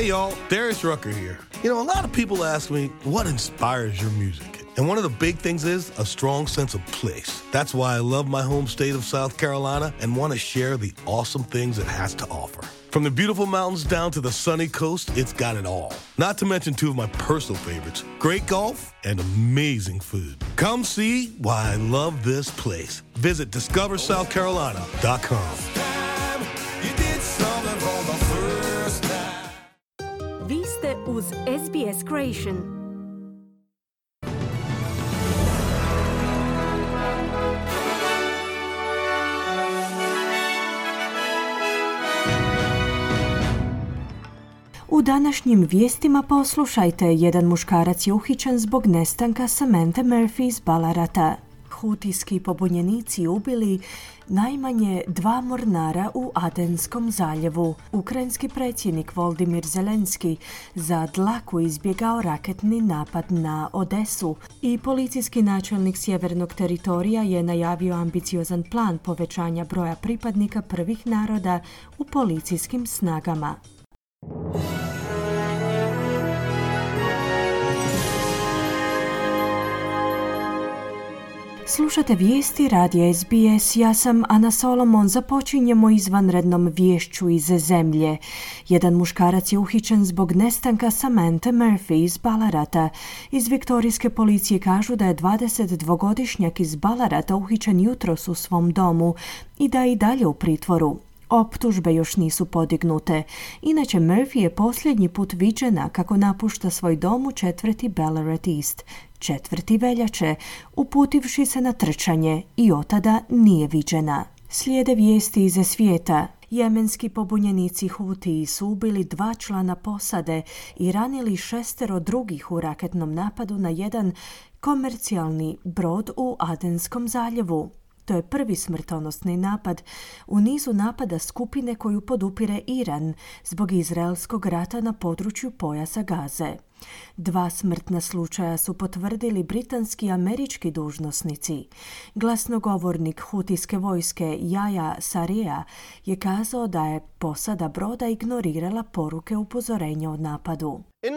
Hey y'all, Darius Rucker here. You know, a lot of people ask me, what inspires your music? And one of the big things is a strong sense of place. That's why I love my home state of South Carolina and want to share the awesome things it has to offer. From the beautiful mountains down to the sunny coast, it's got it all. Not to mention two of my personal favorites, great golf and amazing food. Come see why I love this place. Visit discoversouthcarolina.com. Vi ste uz SBS Creation. U današnjim vijestima poslušajte, jedan muškarac je uhićen zbog nestanka Samanthe Murphy iz Ballarata. Hutijski pobunjenici ubili najmanje 2 mornara u Adenskom zaljevu. Ukrajinski predsjednik Volodymyr Zelenski za dlaku izbjegao raketni napad na Odesu i policijski načelnik sjevernog teritorija je najavio ambiciozan plan povećanja broja pripadnika prvih naroda u policijskim snagama. Slušate vijesti radija SBS, ja sam Ana Solomon, započinjemo izvanrednom viješću iz zemlje. Jedan muškarac je uhićen zbog nestanka Samanthe Murphy iz Ballarata. Iz viktorijske policije kažu da je 22-godišnjak iz Ballarata uhićen jutros u svom domu i da je i dalje u pritvoru. Optužbe još nisu podignute. Inače, Murphy je posljednji put viđena kako napušta svoj dom u četvrti Ballarat East, 4. veljače, uputivši se na trčanje i otada nije viđena. Slijede vijesti iz svijeta. Jemenski pobunjenici Hutiji su ubili 2 člana posade i ranili 6 drugih u raketnom napadu na jedan komercijalni brod u Adenskom zaljevu. To je prvi smrtonosni napad u nizu napada skupine koju podupire Iran zbog izraelskog rata na području pojasa Gaze. 2 smrtna slučaja su potvrdili britanski i američki dužnosnici. Glasnogovornik hutijske vojske Yahya Sarija je kazao da je posada broda ignorirala poruke upozorenja o napadu. The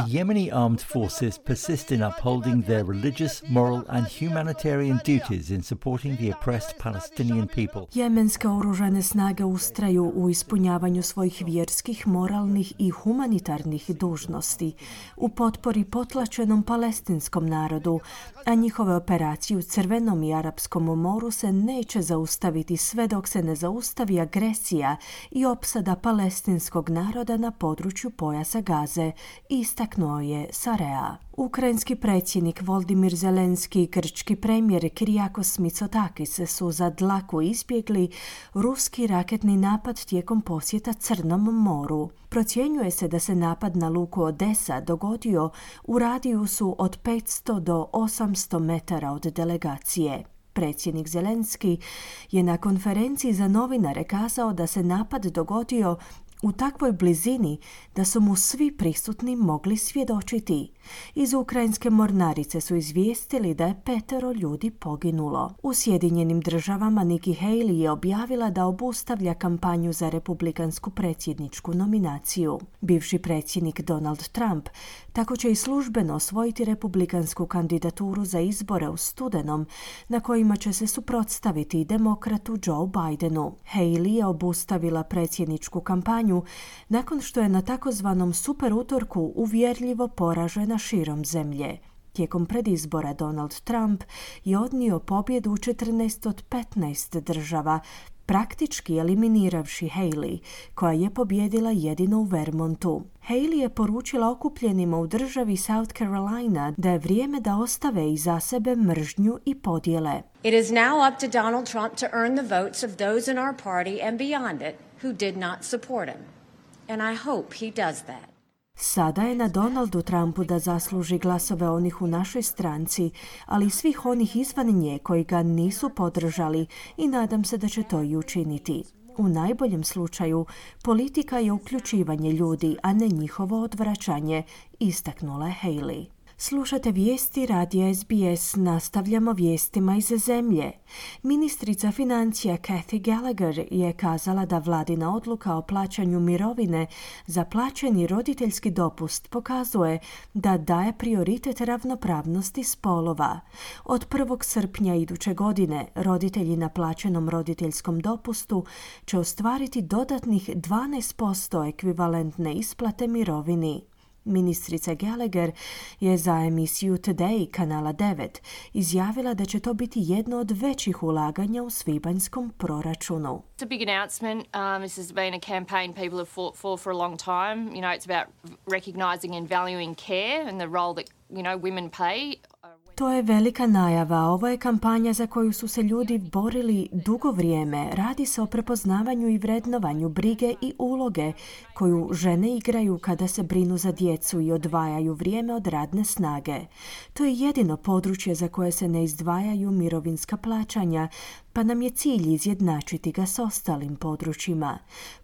Yemeni armed forces persist in upholding their religious, moral and humanitarian duties in supporting the oppressed Palestinian people. Jemenske oružane snage ustraju u ispunjavanju svojih vjerskih, moralnih i humanitarnih dužnosti u potpori potlačenom palestinskom narodu, a njihove operacije u Crvenom i Arapskom moru se neće zaustaviti sve dok se ne zaustavi agresija i opsada palestinskog naroda na području pojasa Gaze, istaknuo je Sarea. Ukrajinski predsjednik Volodymyr Zelenski i grčki premijer Kyriakos Mitsotakis su za dlaku izbjegli ruski raketni napad tijekom posjeta Crnom moru. Procjenjuje se da se napad na luku Odesa dogodio u radijusu od 500 do 800 metara od delegacije. Predsjednik Zelenski je na konferenciji za novinare kazao da se napad dogodio u takvoj blizini da su mu svi prisutni mogli svjedočiti. Iz ukrajinske mornarice su izvijestili da je 5 ljudi poginulo. U Sjedinjenim državama Nikki Haley je objavila da obustavlja kampanju za republikansku predsjedničku nominaciju. Bivši predsjednik Donald Trump tako će i službeno osvojiti republikansku kandidaturu za izbore u studenom, na kojima će se suprotstaviti demokratu Joe Bidenu. Haley je obustavila predsjedničku kampanju nakon što je na takozvanom super utorku uvjerljivo poražena širom zemlje. Tijekom predizbora Donald Trump je odnio pobjedu u 14 od 15 država, praktički eliminiravši Haley, koja je pobjedila jedino u Vermontu. Haley je poručila okupljenima u državi South Carolina da je vrijeme da ostave iza sebe mržnju i podjele. It is now up to Donald Trump to earn the votes of those in our party and beyond it who did not support him. And I hope he does that. Sada je na Donaldu Trumpu da zasluži glasove onih u našoj stranci, ali i svih onih izvan nje koji ga nisu podržali i nadam se da će to i učiniti. U najboljem slučaju, politika je uključivanje ljudi, a ne njihovo odvraćanje, istaknula je Haley. Slušate vijesti radija SBS, nastavljamo vijestima iz zemlje. Ministrica financija Kathy Gallagher je kazala da vladina odluka o plaćanju mirovine za plaćeni roditeljski dopust pokazuje da daje prioritet ravnopravnosti spolova. Od 1. srpnja iduće godine roditelji na plaćenom roditeljskom dopustu će ostvariti dodatnih 12% ekvivalentne isplate mirovini. Ministrica Gallagher je za emisiju Today kanala 9 izjavila da će to biti jedno od većih ulaganja u svibanjskom proračunu. It's a big announcement. This has been a campaign people have fought for a long time. You know, it's about recognizing and valuing care and the role that, women play. To je velika najava. Ovo je kampanja za koju su se ljudi borili dugo vrijeme. Radi se o prepoznavanju i vrednovanju brige i uloge koju žene igraju kada se brinu za djecu i odvajaju vrijeme od radne snage. To je jedino područje za koje se ne izdvajaju mirovinska plaćanja, pa nam je cilj izjednačiti ga s ostalim područjima.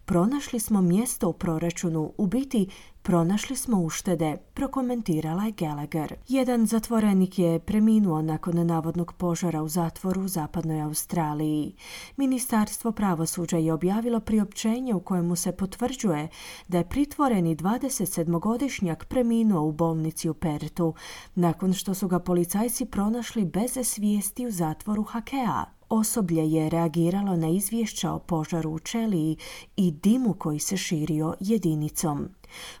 Pronašli smo mjesto u proračunu, u biti pronašli smo uštede, prokomentirala je Gallagher. Jedan zatvorenik je preminuo nakon navodnog požara u zatvoru u zapadnoj Australiji. Ministarstvo pravosuđa je objavilo priopćenje u kojemu se potvrđuje da je pritvoreni 27-godišnjak preminuo u bolnici u Pertu, nakon što su ga policajci pronašli bez svijesti u zatvoru Hakea. Osoblje je reagiralo na izvješća o požaru u ćeliji i dimu koji se širio jedinicom.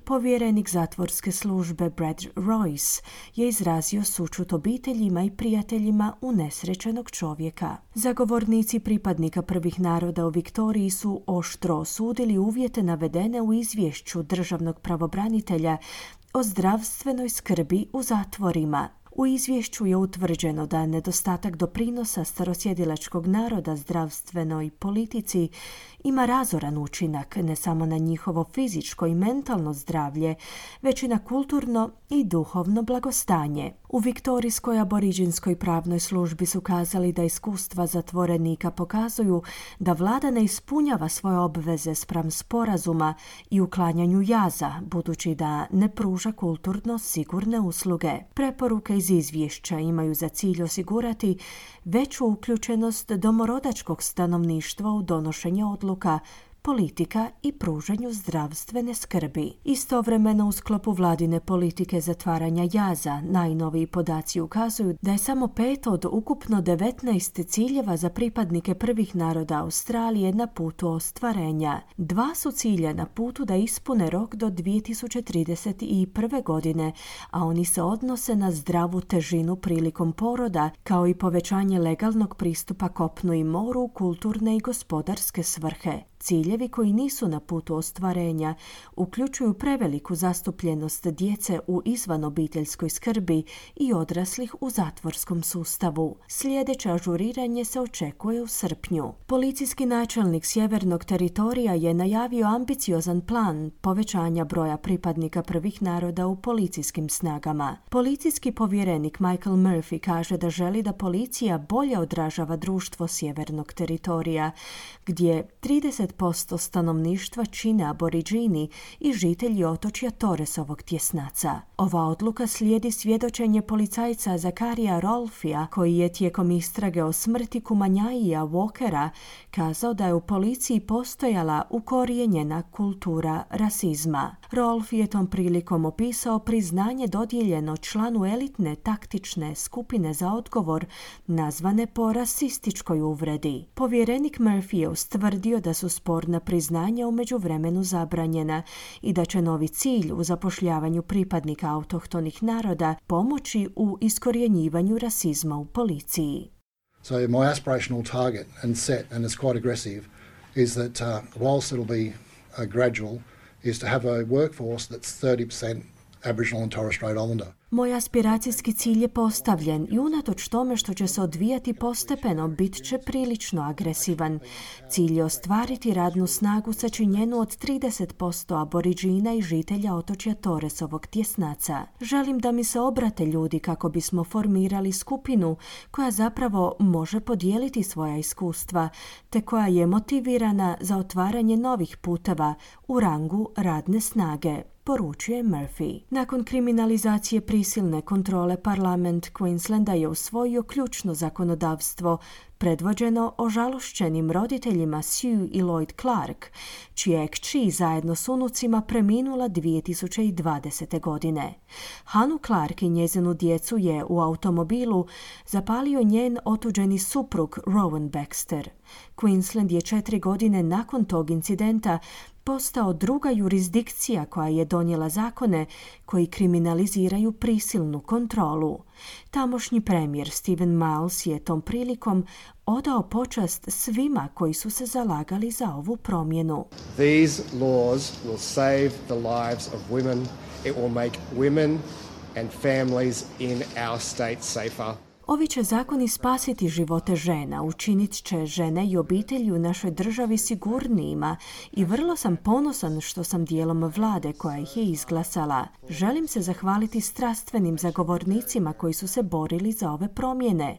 Povjerenik zatvorske službe Brad Royce je izrazio sućut obiteljima i prijateljima unesrećenog čovjeka. Zagovornici pripadnika prvih naroda u Viktoriji su oštro osudili uvjete navedene u izvješću državnog pravobranitelja o zdravstvenoj skrbi u zatvorima. U izvješću je utvrđeno da nedostatak doprinosa starosjedilačkog naroda zdravstvenoj politici ima razoran učinak ne samo na njihovo fizičko i mentalno zdravlje, već i na kulturno i duhovno blagostanje. U viktorijskoj aboriđinskoj pravnoj službi su kazali da iskustva zatvorenika pokazuju da vlada ne ispunjava svoje obveze spram sporazuma i uklanjanju jaza, budući da ne pruža kulturno sigurne usluge. Preporuke iz izvješća imaju za cilj osigurati veću uključenost domorodačkog stanovništva u donošenje odluka, politika i pružanju zdravstvene skrbi. Istovremeno u sklopu vladine politike zatvaranja jaza, najnoviji podaci ukazuju da je samo 5 od ukupno 19 ciljeva za pripadnike prvih naroda Australije na putu ostvarenja. 2 su cilja na putu da ispune rok do 2031. godine, a oni se odnose na zdravu težinu prilikom poroda, kao i povećanje legalnog pristupa kopnu i moru u kulturne i gospodarske svrhe. Ciljevi koji nisu na putu ostvarenja uključuju preveliku zastupljenost djece u izvanobiteljskoj skrbi i odraslih u zatvorskom sustavu. Sljedeće ažuriranje se očekuje u srpnju. Policijski načelnik sjevernog teritorija je najavio ambiciozan plan povećanja broja pripadnika prvih naroda u policijskim snagama. Policijski povjerenik Michael Murphy kaže da želi da policija bolje odražava društvo sjevernog teritorija, gdje 30% stanovništva čine aboriđini i žitelji otočja Torresovog tjesnaca. Ova odluka slijedi svjedočenje policajca Zakarija Rolfija, koji je tijekom istrage o smrti Kumanjaija Walkera kazao da je u policiji postojala ukorijenjena kultura rasizma. Rolf je tom prilikom opisao priznanje dodijeljeno članu elitne taktične skupine za odgovor nazvane po rasističkoj uvredi. Povjerenik Murphy je ustvrdio da su sporna priznanja u međuvremenu zabranjena i da će novi cilj u zapošljavanju pripadnika autohtonih naroda pomoći u iskorjenjivanju rasizma u policiji. So my aspirational target and set, and it's quite aggressive, is that whilst it'll be gradual, is to have a workforce that's 30% Aboriginal and Torres Strait Islander. Moj aspiracijski cilj je postavljen i unatoč tome što će se odvijati postepeno, bit će prilično agresivan. Cilj je ostvariti radnu snagu sačinjenu od 30% aboriđina i žitelja otočja Torresovog tjesnaca. Želim da mi se obrate ljudi kako bismo formirali skupinu koja zapravo može podijeliti svoja iskustva, te koja je motivirana za otvaranje novih puteva u rangu radne snage, poručuje Murphy. Nakon kriminalizacije prisilne kontrole parlament Queenslanda je usvojio ključno zakonodavstvo predvođeno ožalošćenim roditeljima Sue i Lloyd Clark, čija je kći zajedno s unucima preminula 2020. godine. Hanu Clark i njezinu djecu je u automobilu zapalio njen otuđeni suprug Rowan Baxter. Queensland je 4 godine nakon tog incidenta postao druga jurisdikcija koja je donijela zakone koji kriminaliziraju prisilnu kontrolu. Tamošnji premijer Stephen Miles je tom prilikom odao počast svima koji su se zalagali za ovu promjenu. These laws will save the lives of women. It will make women and families in our state safer. Ovi će zakoni spasiti živote žena, učinit će žene i obitelji u našoj državi sigurnijima i vrlo sam ponosan što sam dijelom vlade koja ih je izglasala. Želim se zahvaliti strastvenim zagovornicima koji su se borili za ove promjene.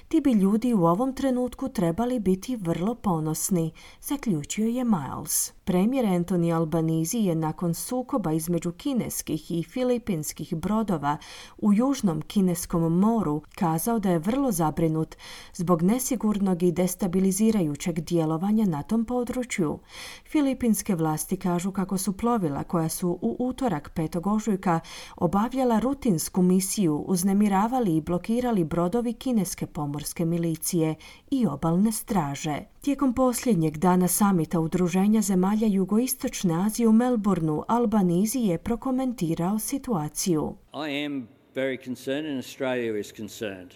Ti bi ljudi u ovom trenutku trebali biti vrlo ponosni, zaključio je Miles. Premijer Anthony Albanese je nakon sukoba između kineskih i filipinskih brodova u Južnom Kineskom moru kazao da je vrlo zabrinut zbog nesigurnog i destabilizirajućeg djelovanja na tom području. Filipinske vlasti kažu kako su plovila koja su u utorak 5. ožujka obavljala rutinsku misiju uznemiravali i blokirali brodovi kineske pomorske milicije i obalne straže. Tijekom posljednjeg dana samita Udruženja zemalja Jugoistočne Azije u Melbourneu, Albanese je prokomentirao situaciju. I am very concerned and Australia is concerned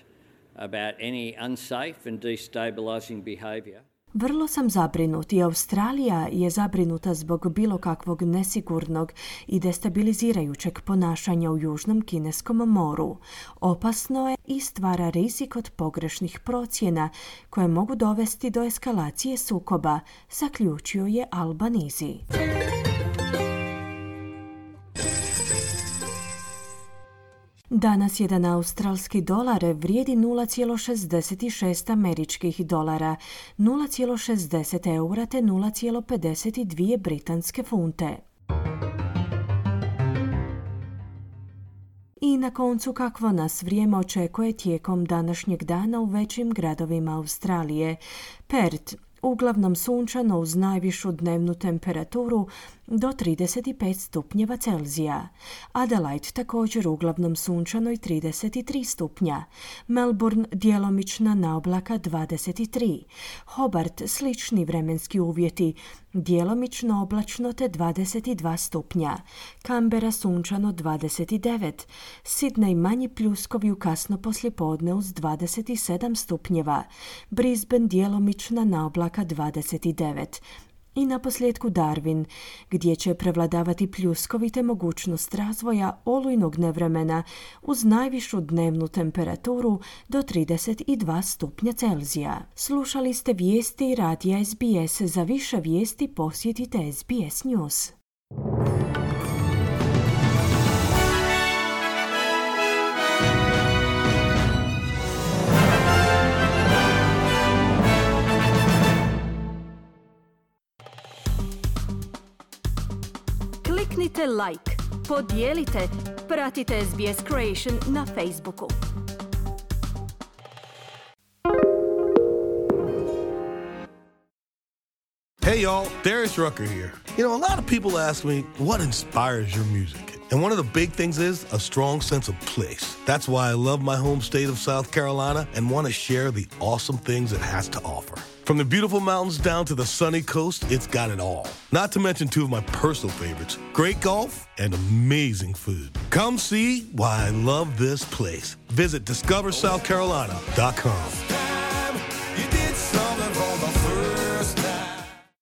about any unsafe and destabilizing behaviour. Vrlo sam zabrinut i Australija je zabrinuta zbog bilo kakvog nesigurnog i destabilizirajućeg ponašanja u Južnom Kineskom moru. Opasno je i stvara rizik od pogrešnih procjena koje mogu dovesti do eskalacije sukoba, zaključio je Albanese. Danas jedan australski dolar vrijedi 0,66 američkih dolara, 0,60 eura te 0,52 britanske funte. I na koncu kakvo nas vrijeme očekuje tijekom današnjeg dana u većim gradovima Australije. Perth uglavnom sunčano uz najvišu dnevnu temperaturu do 35 stupnjeva Celzija. Adelaide također uglavnom sunčano i 33 stupnja. Melbourne djelomična naoblaka 23. Hobart slični vremenski uvjeti, djelomično oblačno te 22 stupnja. Canberra sunčano 29. Sydney manji pljuskovi u kasno poslijepodne uz 27 stupnjeva. Brisbane djelomična naoblaka 29. I naposljetku Darwin, gdje će prevladavati pljuskovi te mogućnost razvoja olujnog nevremena uz najvišu dnevnu temperaturu do 32 stupnja Celzija. Slušali ste vijesti radija SBS. Za više vijesti posjetite SBS News. Kliknite like, podijelite, pratite SBS Creation na Facebooku. Hey y'all, Darius Rucker here. You know, a lot of people ask me, what inspires your music? And one of the big things is a strong sense of place. That's why I love my home state of South Carolina and want to share the awesome things it has to offer. From the beautiful mountains down to the sunny coast, it's got it all. Not to mention two of my personal favorites, great golf and amazing food. Come see why I love this place. Visit discoversouthcarolina.com.